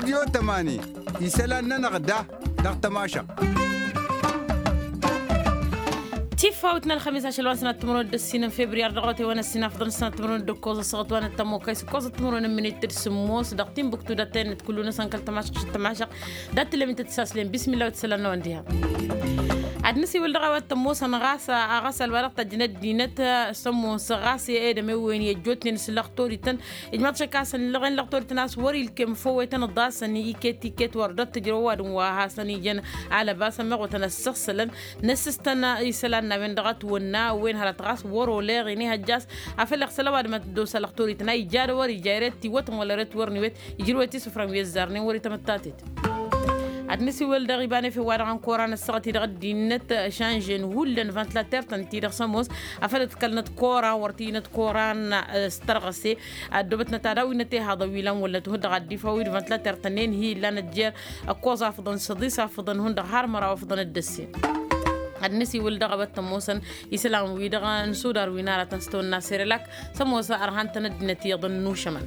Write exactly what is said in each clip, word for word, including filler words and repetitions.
Dio tămani isălan-nănăɣ da dăɣ-tămašăɣt. Tiffawt n-ălxămis ašăl wa n-sănat timǝrwen d-ăssin n-febriyar dăɣ-otewăn ăssin afḍăn n-sănat timǝrwen d-ǝkkoẓ ăssaɣăt wa n-ăttămokay s-ǝkkoẓăt timǝrwen n-minit d-sǝmmos dăɣ-timbuktu d-ătăyăn d-kullu-năsăn kăl-tămašăɣt. D-ad-tǝllăm intăt s-aslem bismillah wa t-isălan n-awăn diha. Ad-nǝsiwǝl dăɣ-a-wa t-ămoosăn ɣas aɣăsal wa dăɣ-tajjăn ăddinăt s-ămoos ɣas edămewen i-ăjjootnen s-lăxtorităn. Ijmaḍ-t šăkk a-s ănlăɣen lăxtorităn a-s wăr-ilkem făw-etăn ǝḍasăn iket-iket wăr dd-tǝjrăw ăwadǝm wa hasăn-ijăn alăbas ămmeɣ wătăn ăssăɣsălăn. Nǝssǝstăn isălan n-a-wen-dăɣ ătwănna wen hărăt ɣas wăr-oleɣ inihăjja a-s afăl iɣsăl ăwadǝm ad-t-dd-osa lăxtorităn a ija d-wăr-ija eret tiwătăn wăla eret wăr n-iwet ijrǝwet isǝfran wi ăzzarnen wăr-itămăttatăt. Ad-nǝsiwǝl dăɣ-ibanef i-wa-dăɣ n-koran ăssaɣăt-i dăɣ-ăddinăt šanžen hullan vantilater-tăn-ti-dăɣ s-ămoos afăl ǝḍkălnăt koran wăr t-inăt koran s-tărɣăse. Ăddoobătnăt ad-awǝynăt ihaḍăn wi lan wălnăt hundăɣ ad-dd-ifaw i-vantilater-tăn-en hi-illanăt jer-ăkkoẓ afǝḍăn săḍis afǝḍăn hundăɣ har măraw afǝḍăn dd-ăssin. Ad-nǝsiwǝl dăɣ-a-wa t-ămoosăn isălan-wi-dăɣ n-sudar wi n-aratăn s-tawănna serelak s-ămoos ărhan-tăn ăddinăt iyyăḍăn n-ušămăn.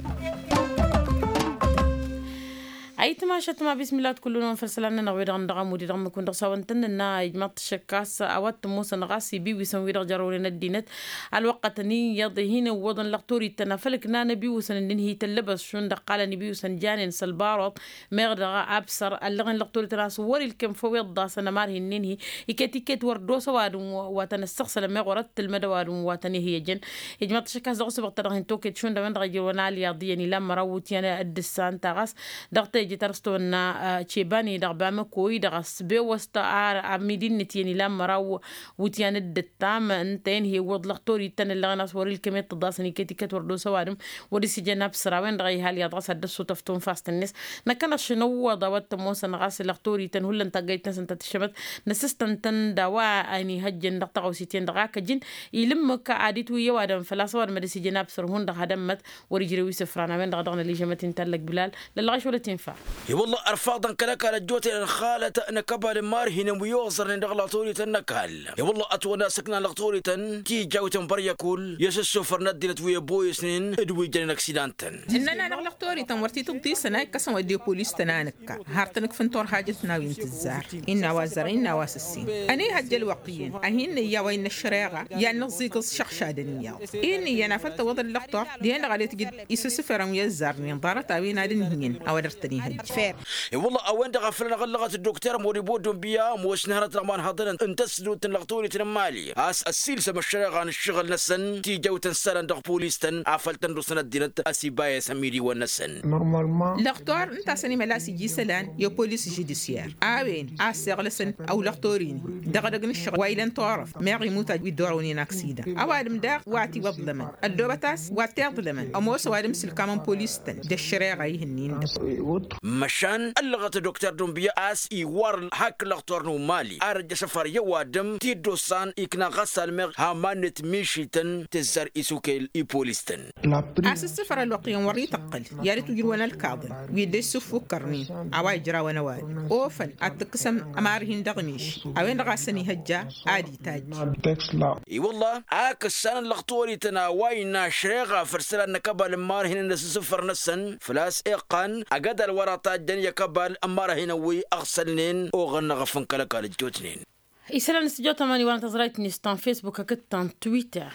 Ayǝtmašăt ma bismillah wa t-kullu-năwăn făll-isălan-nănăɣ wi-dăɣ n-dăɣ-amudi dăɣ-mǝkun dăɣ-s a-wa n-tăn-nǝnna ijmaḍ-t šăkk a-s a-wa t-ămoosăn ɣas ibiwǝsăn wi-dăɣ jărrăwnen ăddinăt. Ălwăqqătăn iyyăḍ hin-iwwăḍăn lăxtorităn afăl ǝknan ibiwǝsăn ǝnnin hi-tăllăbăs šund ăqqalăn ibiwǝsăn janen s-ălbaruḍ meɣ dăɣ-absăr ăllăɣen lăxtorităn a-s wăr-ilkem făw iḍḍasăn ămar hi-ǝnnin hi. Iket-iket wăr dd-osa ăwadǝm wa tăn-ăssăɣsălăn meɣ wăr-ăttǝlmăd ăwadǝm wa tăn-ih-ijăn. Ijmaḍ-t šăkk a-s dăɣ-s băɣ ta dăɣ-hin-toket šund a-wen-dăɣ ijrăwăn alyaḍ iyyăn ilan măraw wǝtyan d-ǝssan ta ɣas dăɣ-teje ta dăɣ-s tawănna cebani dăɣ-bamăko-i dăɣ-s bewăst ar amidinnet iyyăn ilan măraw wǝtyan d-ǝttam ǝnta-en hi-iwwăḍ lăxtorităn ǝllăɣen a-s wăr-ilkem i-tǝḍasăn iket-iket wăr dd-osa ăwadǝm. Wăr-isǝjăn absăr a-wen-dăɣ a iha alyaḍ ɣas ad-dd-ăssutăf tunfast-net. Năkkăneḍ šăn ǝwwăḍ a-wa t-ămoosăn ɣas lăxtorităn hullan taggayt-năsăn ta tǝššămăt năssǝstăn-tăn d-a-wa ănihăjjăn dăɣ-taɣăwsit-en-dăɣ a kăjǝn. Ilǝmmǝk ad-itwǝyy ăwadǝm făl-a-s ăwadǝm ad-ăsijăn absăr hundăɣ had-ămmăt. Wăr-ijrew isǝfran a-wen-dăɣ dăɣ-nălijămăt-in tallăg bilal lăllăɣ-ašwălăt infa. I-wălla ărfaḍăn kăl-ăkall ăjjootnen ălxalăt n-akăbal n-imarhinen wi oẓărnen dăɣ-lăxtorităn n-ăkall. I-wălla ătwănna s-ǝknan lăxtorităn tijawten băryăkull i-asǝssufăr n-ăddinăt wi ăboyăsnen d-wi jănen ăksidantăn. Ǝnnăn-anăɣ lăxtorităn wăr t-tǝḍḍisăn a ikkăsăn wădden polis-tăn a nǝkka har tăn-ǝkfǝn turhajăt n-a-wen tǝzzar. Innă a-wa ăzzarăn innă a-wa s-ǝssin ănihăjja ălwăqq iyyăn a hin-nǝyya a-wa innă ăššăreɣa i-ad-nǝẓẓigǝẓ šăɣšadăn iyyăḍ. Innă iyyăn afăl tăwwăḍ ăllăxtor dihen-dăɣ ad-itǝjǝd isǝssǝfărăn wi ăzzarnen ḍarăt a-wen ad-ǝnhǝyăn a-wa dăr-tăn-ihăjja. E-wălla a-wen-dăɣ a făl ănăɣ-ăllăɣăt dd-okter moribo dunbiya ămoosnen hărăt dăɣ-imanhăḍăn n-tăsdut n-lăxtorităn n-mali a-s ăssiilsăm ăššăreɣa n-ǝššăɣǝl-năsăn tijăwt n-isălan dăɣ-polis-tăn afăl tăn-dd-osăn ăddinăt a-s ibayăs ămidiwăn-năsăn. Lăxtor ǝnta a-s ănimăla a-s ija isălan i-polis žudisyer a-wen a ăssiɣlăsăn ăwlăxtor-in-hi dăɣ-edăgg n-ǝššăɣǝl wa ilăn turăft meɣ imut wi dd-orăwnen aksida. Ăwadǝm daɣ wa tiwăḍlămăn ăddoobăt a-s wa tiḍlămăn ămoos ăwadǝm s-ǝlkamăn polis-tăn d-ăššăreɣa ihǝnnin-dăɣ. Măšan ăllăɣăt dokter dunbiya a-s iwar hak lăxtor n-umali ar ăjjăš afăr i-ăwadǝm ti dd-osan ikna ɣasal meɣ hamannet mišităn tǝzzar isukel i-polis-tăn. A-s ǝssǝfăr ălwăqq-iyyăn wăr-ităqqǝl i-ad-ǝtwǝjrǝwăn ălkaḍăn wi dd-ăssufukkărnen a-wa ijrawăn ăwadǝm ofăn ad-t-ǝkkǝsăm ămarhin dăɣ-miši a-wen-dăɣ a-s ănihăjja ad-itajj. I-wălla a kăssanăn lăxtorităn a-wa innă ăššăreɣa făll-isălan n-akăbal n-imarhinăn d-asǝssǝfăr-năsăn făl-a-s iqqan ăgg-ădal wăr-ătajjăn i-akăbal n-imarhinăn wi ăɣsălnen oɣănnăɣ fănkăl ăkall ăjjootnen. Isălan s-tijot ămani wa n-tăẓrayt-net ta n-facebook hakd ta n-twitter.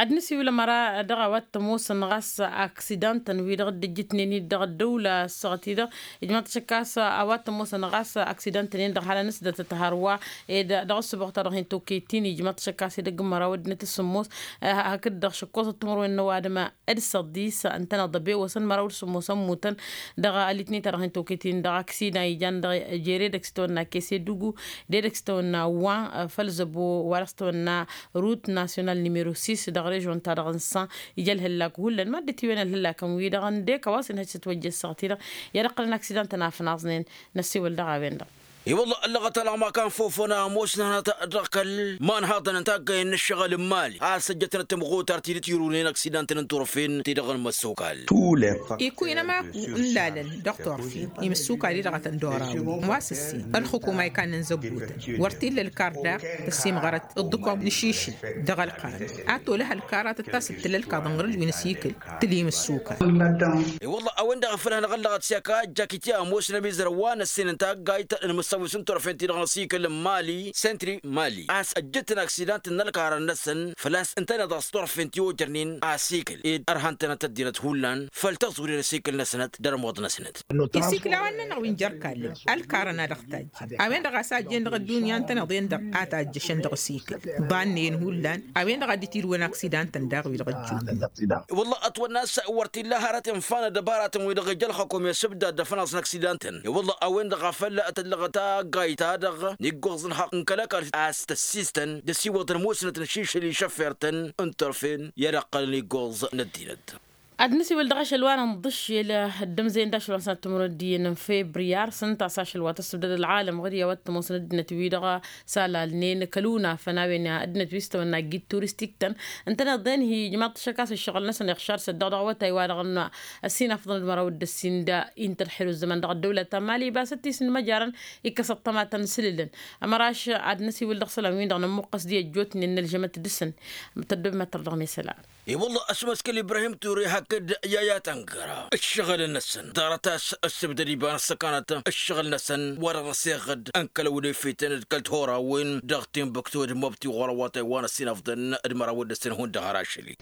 Ad-nǝsiwǝl ămăra dăɣ-a-wa t-ămoosăn ɣas aksidantăn wi-dăɣ dd-ǝjjǝtnen-dd dăɣ-ăddăwla ăssaɣăt-i-dăɣ. Ijmaḍ-t šăkk a-s a-wa t-ămoosăn ɣas aksidantăn-en-dăɣ halăn-s dd-tăt-hărwa ed dăɣ-ăssǝboɣ-ta-dăɣ hin-tokăyt-in ijmaḍ-t šăkk a-s edăgg n-măraw ăddinăt s-sǝmmos hakd-dăɣ šăkkoẓăt timǝrwen n-ăwadǝm d-săḍis ǝntăneḍ ăbewăsăn măraw d-sǝmmos ămmutăn. Dăɣ-alitney-ta-dăɣ hin-tokăyt-in dăɣ-aksidan ijan dăɣ-jere dăɣ-s tăwănna kese dugu d-edăgg s-tăwănna wa făll-zăbo wa dăɣ-s tăwănna rut nasyonal nimero sis dăɣ-režion-ta-dăɣ n-san. Ija ălhăllak hullan mad-dd-tiwen ălhăllakăn-wi-dăɣ ǝndek a-wa s-inhăj s-ătwăjja ăssaɣăt-i-dăɣ i-ad-ǝqqǝlăn aksidan-tăn afnaẓnen. Năssiwǝl dăɣ-a-wen-dăɣ. I-wălla ăllăɣăt alăɣ ma kan fofăna ămoosnănăt dăɣ-kăl-imanhaḍăn n-taggayăn n-ǝššăɣǝl n-imali a-s ăjjătnăt tămɣutar ti dd-tirǝwnen ăksidan-tăn n-turfen ti-dăɣ n-imăssokal. Ikuyǝn ămaku n-lalăn dăɣ-turfen imǝssokal-i-dăɣ a tăn-dd-orawen wa s-ǝssin ălxukuma ikanăn zăggutăn wăr t-illa ălkar daɣ tăssimɣărăt ǝḍḍǝkwaw n-ašišǝl dăɣ-ălqan. Ad-tolăh ălkar ad-tăt-tasǝttǝl ălkaḍăn ɣur-ǝlwin s-ikǝl tǝlim ǝssukar. I-wălla a-wen-dăɣ a făl hanăɣ-ăllăɣăt s-i-ăkajjak iti a ămoosnăm izrăw wa n-ăssin n-taggayt n-imǝssăwis n-turfen-ti-dăɣ n-asikǝl n-mali sentri mali a-s ăjjǝtăn aksidant n-ălkarăn-năsăn făl-a-s ǝntăneḍ a-s turfen ti ojărnen asikǝl ed ărhăn-tănăt ăddinăt hullan făll-tăẓuri n-asikǝl-năsnăt d-ărmuḍ-năsnăt. Isikǝl a-wa ǝnnăn-ăɣ wi n-jer-kallăn ălkarăn a dăɣ-tajjăn a-wen-dăɣ a-s a ăjjeen dăɣ-ăddunya ǝntăneḍ-en-dăɣ a tajjăšăn dăɣ-asikǝl ḍannăyăn hullan a-wen-dăɣ a dd-itirǝwăn aksidant-tăn daɣ wi-dăɣ ăjjootnen. Wălla ătwănna a-s wăr t-illa hărăt infa n-ăddăbaratăn wi-dăɣ ija ălxăkum i-asǝbdad d-afănaẓ n-aksidant-tăn i-wălla a-wen-dăɣ a făl tăllăɣăt taggayt-ta-dăɣ n-iggoẓ n-hăqq n-kăl-ăkall a-s tăssistăn d-asiwăḍ n-musnăt n-ašišăl išăffer-tăn n-turfen i-ad-ăqqălăn iggoẓ n-ăddinăt. Ad-nǝsiwǝl dăɣ-ašăl wa n-inḍǝššel d-ămzăyăn d-ašăl wa n-sănat timǝrwen d-iyyăn n-febriyar s-ǝnta a-s ašăl wa tăssǝbdăd ălɣalăm ɣǝd i-a-wa t-ămoosăn ăddinăt-wi-dăɣ s-alalnen kăl-unafăn a-wen ăddinăt wi s-tăwănna ăggit turistik-tăn. Ǝntăneḍ-en hi-ijmaḍ-t ašăk a-s ǝššăɣǝl-năsăn iɣšar s-ăddiɣ dăɣ-awătay wa-dăɣ n-ăssinafḍăn d-măraw d-ăssin d-inta ălxer u-ăzzăman dăɣ-ăddăwlăt ta n-mali ibas ăttis n-imăjarăn ikkăs ăṭṭămatăn s-ilǝlăn. Ămăraš ad-năsiwǝl dăɣ-isălan-win-dăɣ nămmuqqăs di ăjjootnen n-ălžămăt dăɣ-săn. Tăddobem ad-tărdăɣ mesălan. I-wălla ăšmăskăl ibrahim ture hakd i-a i-ad-tăngăra ǝššăɣǝl-năsăn ḍarăt a-s ăssibdăd iba n-ăssăkanăt ǝššăɣǝl-năsăn wa dăɣ-năseɣăd n-kăl-ăwnefităn d-kăl-tihorawin dăɣ-timbuktu d-măbti ɣur-ăwwatay wa n-ăssinăfḍăn d-măraw d-ăssin hundăɣ har ašăl-i.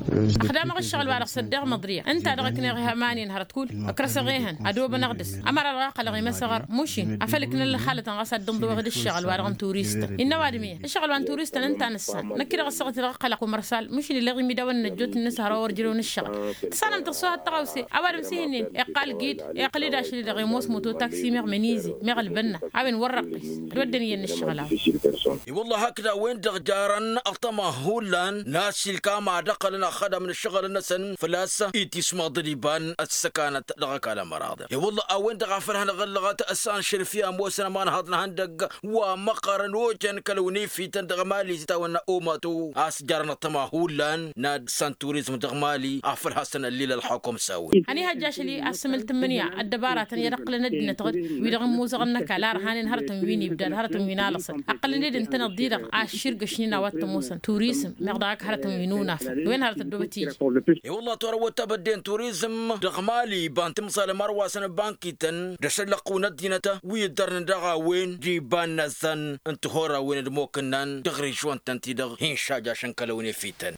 Ăxdamăɣ ǝššăɣǝl-wa-dăɣ s-ăddeɣ măḍriya ǝnta-dăɣ ǝkneɣ ihămanen hărăt kull ăkrăsăɣ ehăn ădobănăɣ dăɣ-s ămăra dăɣ-a ăqqălăɣ imăsăɣăr mušin afăl ǝknăn ălxalătăn ɣas ad-dd-ǝnḍǝwăɣ d-ǝššăɣǝl-wa-dăɣ n-turistăn. Innă ăwadǝm iyyăn ǝššăɣǝl wa n-turistăn ǝnta a nǝssan năkk-i-dăɣ ăssaɣăt-i-dăɣ ăqqălăɣ kumărsal mušin illeɣ imidawăn n-ăjjootnen s-hărwa wăr jărăwăn ǝššăɣǝl. Tǝssanăm tăɣsăwăt tăɣawse ăwadǝm s-ihǝnnin iqqal gid iqqăl-dd ašăl-i-dăɣ i-ămoos moto taksi meɣ mănize meɣ ălbănna a-wen wăr-răqqis. Dd-wădden iyyăn n-ǝššăɣǝl-a-wen. I-wălla hakd a-wen-dăɣ jarăn ăṭṭăma hullan n-asilkam ad-ăqqălăn ăxxădăm n-ǝššăɣǝl-năsăn făl-a-s itismăḍ d-iba n-ăssăkanăt dăɣ-ăkall ămăraḍ. I-wălla a-wen-dăɣ a făl hanăɣ-ăllăɣăt s-anšăl fi ămoosăn ămanhăḍ n-ihăndăgg wa măqqărăn ojăn kăl-ăwnefităn dăɣ-mali s-itawănna omato a-s jarăn ăṭṭăma hullan n-ad-săn turizm dăɣ-mali a făl hasăn-ăllil ălxukum s-a-wen. Ăniihăjja ašăl-i asǝmǝl tǝmmǝnǝya ăddăbaratăn i-ad-ăqqǝlăn ăddinăt ɣǝd wi-dăɣ n-imuzăɣăn n-ăkall a ărhanen hărătăn wi n-ibdad hărătăn wi n-alăṣăl ăqqălăn-dd ǝntăneḍ-di-dăɣ ašširgăšnen a-wa t-ămoosăn turizm meɣ dăɣ-ak hărătăn wi n-unafăn. Wen hărăt ăddoobăt iji. I-wălla torăwăt tabădde n-turizm dăɣ-mali iba n-timẓalăm ărwasăn n-bankităn d-ašăllăqqǝw n-ăddinăt wi ǝddărnen dăɣ-a-wen d-iba n-inăzzan n-tihorawen d-imokǝnnan dăɣ-režion-tăn-ti-dăɣ hin-šajašăn kăl-ăwnefităn.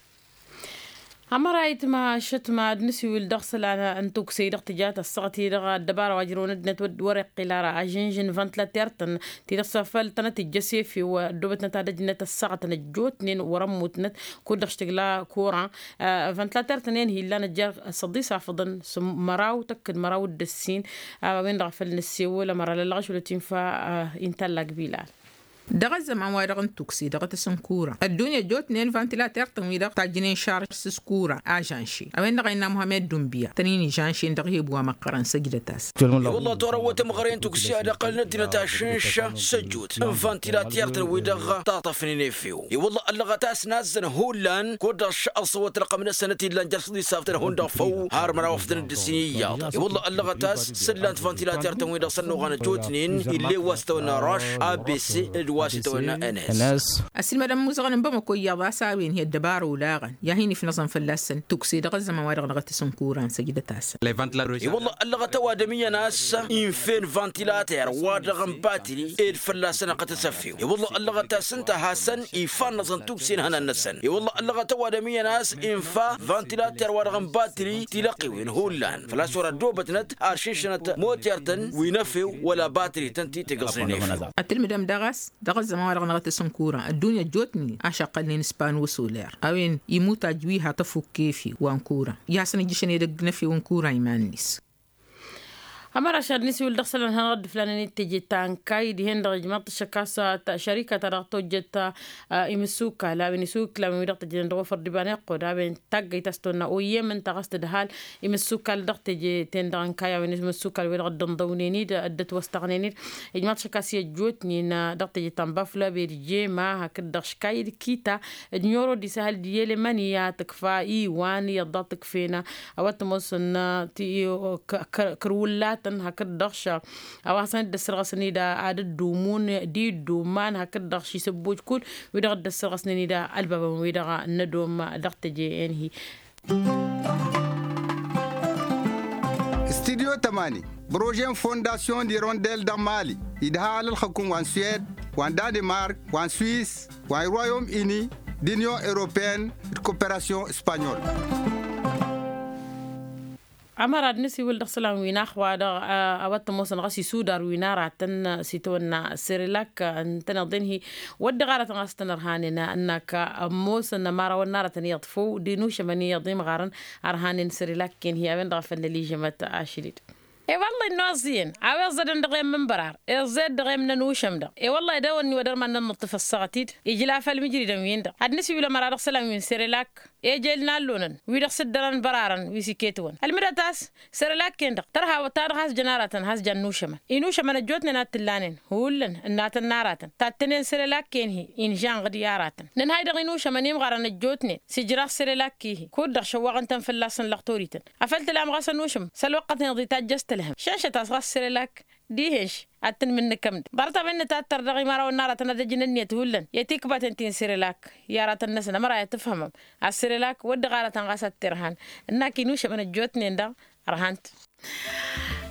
Ămărayt ma ašăt ma ad-nǝsiwǝl dăɣ-isălan n-tukse-i-dăɣ tǝja tăssaɣăt-i-dăɣ ăddăbara wa ǝjrăwăn ăddinăt wăr-iqqǝl ara ažǝnžǝn vantilater-tăn ti-dăɣ s-afăl tănăt-ijjăš efew ăddoobătnăt ad-ăjnăt ăssaɣătăn ăjjootnen wăr-ămmutnăt kud-dăɣ s-tǝgla kuran. Vantilater-tăn-en hi-illan ăjja s-ăḍisafăḍăn s-măraw tăkk d-măraw d-ăssin. A-wen-dăɣ a făl nǝssewăl ămăra lăllăɣ ašăl wa t-infa intallak bilal. Dăɣ-ăzzăman-wa-dăɣ n-tukse dăɣ-tăsǝnkura ăddunya ăjjootnen vantilater-tăn-wi-dăɣ tajjǝnen šarš s-kura ažanše a-wen-dăɣ a innă muhammed dunbiya tăn-in ižanšen dăɣ-eheb wa măqqărăn săjdăt-as. I-wălla torăwăt ămɣăre n-tukse ad-ăqqălăn ăddinăt ašǝnša s-ăjjoot n-vantilater-tăn-wi-dăɣ taṭṭăfnen efew. I-wălla ăllăɣăt a-s nazzăn hullan kud-dăɣ ăṣṣăwăt ălqăm-năsăn ătillan jer-săḍisaftăn hundăɣ făw har măraw afdăn d-ǝssin iyyăḍ. I-wălla ăllăɣăt a-s s-ǝllan-t vantilater-tăn-wi-dăɣ s-ănnuɣan ăjjootnen ill'-e wa s-tăwănna ruš abc d-wa s-ităwănna ns. Ăsilmădăn imuzăɣăn n-bamăko iyyăḍ a-s a-wen hi-ăddăbara olaɣăn i-ad-hin-ifnăẓăn fălla-săn tukse dăɣ-ăzzăman-wa-dăɣ dăɣ-tăsǝnkuran săjdăt-asăn. I-wălla ăllăɣăt ăwadǝm iyyăn a-s infen vantilater wa dăɣ-n batri ed fălla-săn ăqqăt asăfew. I-wălla ăllăɣăt a-s ǝnta a hasăn ifannăẓăn tukse n-ihănan-năsăn. I-wălla ăllăɣăt ăwadǝm iyyăn a-s infa vantilater wa dăɣ-n batri tilăqqiwen hullan făl-a-s wăr-ăddoobătnăt ar šǝnšănăt moter-tăn wi n-efew wăla batri-tăn ti tǝggăẓnen efew. Ătǝlmǝdăm daɣ a-s dăɣ-ăzzăman wa dăɣ-năɣ tăsǝnkura ăddunya ăjjootnen ašăqqălnen s-pano soler a-wen imutaj wi ha tăfukk efew wa n-kura i-hasăn-ijjǝšăn edăgg n-efew n-kura iman-net. Ămăraš ad-nǝsiwǝl dăɣ-isălan hanăɣ-dd-ǝflanen i-teje ta n-kayy dihen-dăɣ ijmaḍ-t ašăkka s-šărika-ta-dăɣ tojjăt imǝssukal a-wen isukǝl a-wen wi-dăɣ tǝjjănen dăɣ-ofăr d-iba n-iqqud a-wen taggăyt a-s tonna oyyem ǝnta ɣas tǝdhal imǝssukal dăɣ-teje-ten-dăɣ n-kayy a-wen imǝssukal wi-dăɣ dd-ǝnḍăwnen-dd dd-ătwăstăɣnen-dd. Ijmaḍ-t ašăkka s-i ăjjootnen dăɣ-teje ta n-baflăbed jema hakd-dăɣ škayy d-kita d-nyoro d-isăhăl d-iyyălemăn i-ad-tǝkfa iwan iyyăḍ daɣ tǝkfen a-wa t-ămoosăn kăr-wǝllatăn hakd-dăɣ š-a-wa hasăn-dd-ăssărɣăsăn-dd ad-dd-umun d-idduman hakd-dăɣ š-isǝbbuj kud-wi-dăɣ dd-ăssărɣăsnen-dd ălbabăn-wi-dăɣ n-ădom dăɣ-teje-en-hi. Studyo tămani, brožen fondasyon d-irondel dăɣ-mali idhal ǝlxǝkǝm wa n-suwed wa n-danemark wa n-suwis wa n-royom ini d-inyon europeyăn d-koperasyon espanyol. Ămăra d-nǝsiwǝl dăɣ-isălan wi n-axwa dăɣ-a-wa t-ămoosăn ɣas isudar wi n-aratăn s-itwănna sirelak ǝntăneḍ-in-hi wădden ɣaratăn ɣas tăn-ărhanen ǝnnak ămoosăn ămărawăn n-aratăn iyyăḍ făw d-inušămăn iyyăḍ imɣarăn ărhanen sirelak-en-hi a-wen-dăɣ a făl năližămăt ašăl-dd. E-wălla-hi ănnuẓẓiyăn a-wa iẓẓădăn dăɣ-e-m n-bărar iẓẓed dăɣ-e-m n-ănušăm-dăɣ e-wălla-hi d-ewănni wăr-dăr ma n-nănnuṭṭǝf ăṣṣăɣăt-dd ijla făll-imǝjridăn-win-dăɣ ad-nǝsiwǝl ămăra dăɣ-isălan wi n-sirelak ejel n-allonăn wi-dăɣ s-dd-ărăn bărarăn wi s-iket-wăn ălmǝdăt a-s sărălak-en-dăɣ tărha ta-dăɣ has-jăn aratăn has-jăn nušămăn inušămăn ăjjootnen a t-ǝllanen hullan ǝnnatăn n-aratăn tattănen sărălak-en-hi inžanɣ-dd i-aratăn nǝnhay dăɣ-inušămăn imɣarăn ăjjootnen s-ijraɣ sărălak-i-hi kud-dăɣ šăwwaɣăn-tăn fălla-săn lăɣtorităn afăl tǝlam ɣas ănušăm s-ălwăqqăt-en-dd itajjăs tǝlhăm šănšăt-as ɣas sărălak dihenš ad-tǝnmǝnnǝkăm-dd ḍarăt a-wen nǝtattăr dăɣ-imarawăn n-aratăn ad-ăjǝn ǝnniyăt hullan i-tikbaten ti n-sărălak i-aratăn-năsăn ămăra i-ad-tǝfhămăm a-s sărălak wăr dd-ɣaratăn ɣas ad-t-irhan ǝnnak inušămăn ăjjootnen-dăɣ ărhan-t.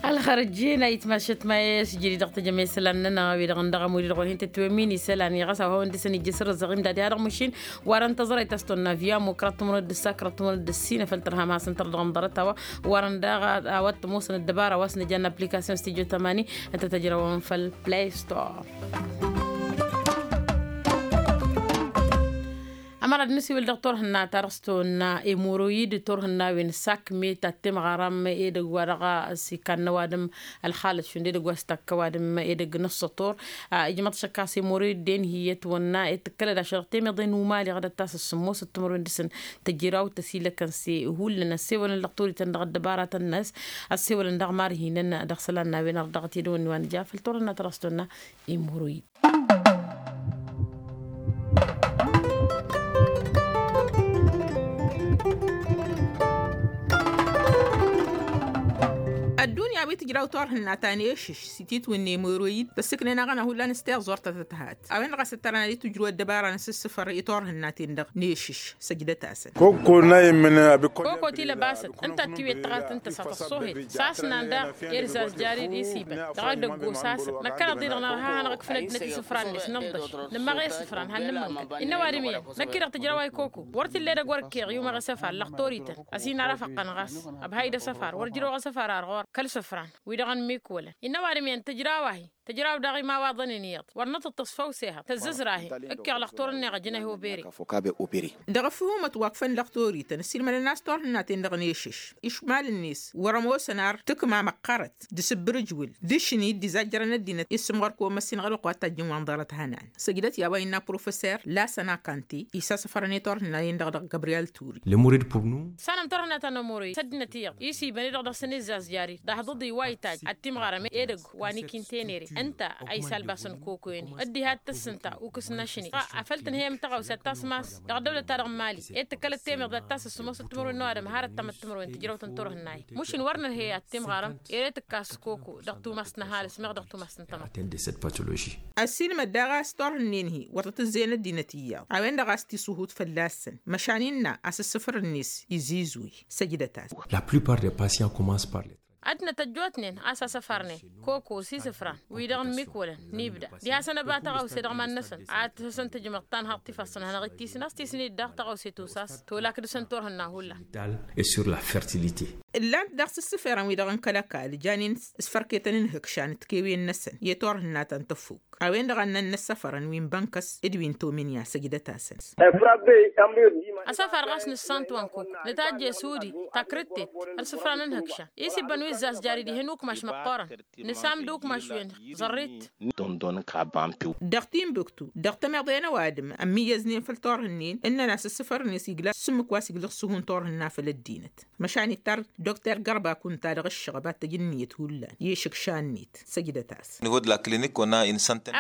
Ălxărăjjen a itmašăt ma i-s jădid dăɣ-tejăme isălan-nănăɣ a-wi-dăɣ n-dăɣ ămud-i-dăɣ wăr hin-tătwemmin isălan i-ɣas a-wa hawăn-dăɣ-săn ijjăsărăzăɣ imdad i-ad-dăɣ măšin wa dăɣ-n tăẓrăyt a-s tonna via mukra tǝmrăwăn d-ǝssa kra tǝmrăwăn d-ǝssin afăl tărham hasăn-tăr dăɣ-n ḍarăt a-wa wărăn daɣ a-wa t-ămoosăn ăddăbara wa s-nǝja n-application studio tămani ǝnta tăjrăwăn făll-play store. Ămăra d-nǝsiwǝl dăɣ-turhǝnna ta dăɣ-s tonna emoroyid turhǝnna wen sakmet ad-timɣarăm edăgg wa dăɣ-s-ikannăw adǝm ălxalăt šund edăgg wa s-takkăw adǝm edăgg n-ăṣṣătur. Ijmăḍ šăkkas emoroyid-den hi-ătwănna i-tǝkkălăd ašăl dăɣ-temeḍe n-umali ɣad ăttas s-sǝmmos d-timărwen dăɣ-săn tǝjraw tăsilăkăn s-e hullan ăssewălăn lăɣtorităn dăɣ-ăddăbaratăn-năs ăssewălăn dăɣ-marhinăn dăɣ-isălan n-a-wen ardăɣăt edăwănni wa nǝja făll-turhǝnna ta dăɣ-s tonna. Emoroyid. Ăddunya wi tǝjraw turhǝnna ta n-ešǝš s-ititwǝnne emoroyid tăssǝknen aɣăna hullan s-tiẓẓurt ta tăthat a-wen-dăɣ a-s ăttărăn ad-itǝjrǝw ăddăbara n-asǝssǝfăr i-turhǝnna-ten-dăɣ n-ešǝš. Săjdăt-asăn. Koko ti lăbasăt ǝnta ăttiwet tăɣart ǝnta s-ad-tăṣṣohet s-asnan daɣ i-ad-ǝzzazjari d-isibăn dăɣ-edăgg osasăn năkkăneḍ-i-dăɣ nărha hanăɣ-ǝkfǝn ăddinăt isǝfra-net nǝḍḍăš nǝmmăɣ i-isǝfran han nǝmmǝnkăn innă ăwadǝm iyyăn năkk-i-dăɣ tǝjrăw a ikoko wăr t-illa edăgg wăr ǝkkeɣ i-umaɣ isăfar lăxtorităn ăsinarăfăqqăn ɣas ăbhay d-asăfar wăr ǝjrăwăɣ asăfar ar ɣur-kăl-isǝfran wi-dăɣ n-imikwălăn innă ăwadǝm iyyăn tǝjraw-ahi tǝjraw daɣ imawaḍăn-in iyyăḍ wăr nǝtǝṭṭǝṣ făw s-ehăḍ tăzzǝzr-ahi ǝkkeɣ lăxtor-net ăjǝn-ahi obere. Dăɣ-ăfhumăt wa ǝkfăn lăxtorităn ăssiilmădăn a-s turhǝnna-ten-dăɣ n-ešǝš išmal-net wăr-ămoosăn ar tǝkma măqqărăt d-asǝbbǝrǝjwǝl d-ašni dd-izajjărăn ăddinăt i-ǝssǝmɣăr kăwăn-măssinăɣ ălwăqq wa t-tajjǝn wa n-ḍarăt hanan. Săjdăt i-a-wa innă professor lasăn akante isasăfărăn i-turhǝnna-en-dăɣ dăɣ-gabriyel turi. Lămurid purnu. Sanăm turhǝnna ta n-ămurăy s-ăddinăt iyyăḍ isibăn-i-dăɣ dăɣ-săn izzazjar-dd ahḍăḍ iwaytaj ad-timɣarăm edăgg wa n-ikintenere ǝnta a isalbasăn kokoyăn-i ăddiha d-tǝssǝnta ukǝs n-ašni. Afăl tǝnhăyăm tăɣawse ad-tasmas dăɣ-ăddăwlăt-ta-dăɣ n-mali ed tǝkkălăt temeḍe ad-tassăs s-ămoosăt timărwen n-ăwadǝm har ăttămăt timărwen tǝjrăwt n-turhǝnna-i. Măšin wăr nǝrhe ad-timɣarăm ere tǝkkas koko dăɣ-tumast n-ăhalǝs meɣ dăɣ-tumast n-tămăḍt. Ăssiilmăd daɣ a-s turhǝnnen-hi wăr tăt-ǝzzeyăn ăddinăt iyyăḍ a-wen-dăɣ a-s tisuhut fălla-săn măšan innă a-s ǝssǝfăr-net izizwi. Săjdăt-as. La plupart des patients commencent par les. Ăddinăt ăjjootnen a-s asăfărnen koko s-isǝfran wi-dăɣ n-imikwălăn n-ibda diha-săn ăba tăɣawse dăɣ-iman-năsăn ad-tăsăn tǝjmăḍ tanhăḍt tifassăn hanăɣ-ittisǝn a-s tisǝn-dd daɣ tăɣawse tusas tolak dăɣ-săn turhǝnna hullan. Sur la fertilité. Ǝllan-t daɣ s-ǝssǝferăn wi-dăɣ n-kăl-ăkall janen s-fărketăn n-ihǝkšan d-tikewen-năsăn i-turhǝnna ta n-tăfuk. a-wen-dăɣ a ǝnnăn inăssăfărăn wi n-bănkăs d-wi n-tomǝnya săjdăt-asăn. Asăfar ɣas nǝssan-t wa n-kuk nǝtajje s-udi takrǝttet. Ălsǝfra n-ǝnhǝkša i-s ibbăn wi ǝzzas jari dihen ukmaš măqqoorăn. Nǝsam d-ukmaš wi n-ẓărrit. Dăɣ-timbuktu dăɣ-tămiḍe n-ăwadǝm ămmiyyăznen făll-turhǝnnen ǝnnăn-as ǝssǝfărăn-net igla s-ǝmmǝk wa s-iglǝɣ s-ǝhun turhǝnna făll-ăddinăt. Măšan ittar dokter gărba kunta dăɣ-ǝššăɣăb ad-t-ăj ǝnniyăt hullan i-išǝkša-net. Săjdăt-as.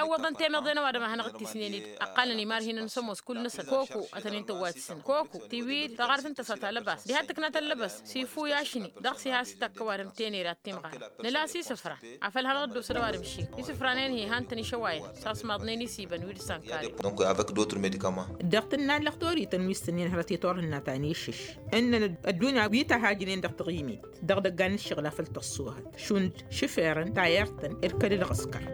Ăwwăḍăn temiḍe n-ăwadǝm a hanăɣ-dd-tisnen-dd ăqqalăn imarhinăn s-ămoos kull-năsăn koku ad-tăn-in-tǝwwat s-inăn koku tiwil taɣart n-tăsa talăbas diha d-tǝkna talăbas s-ifu i-ašni. Dăɣ-s iha s-ittakk ăwadǝm tenera d-timɣarăn. Nǝla s-isǝfra afăl hanăɣ-dd-osăd ăwadǝm šik isǝfranen hi-han-tăn išăwayăn. S-asmaḍnen isibăn wi d-sănkare. Dăɣ-tǝnna ǝllăɣ-torităn wi s-tǝnnin hărăt i-turhǝnna ta n-išǝš ǝnnăn ăddunya wi tăhajnen dăɣ-taɣimit. Dăɣ-idăggan n-ǝššăɣǝl a făl tăṣṣuhăt šund šǝferăn tayărt-tăn irkăd d-ɣăskăr.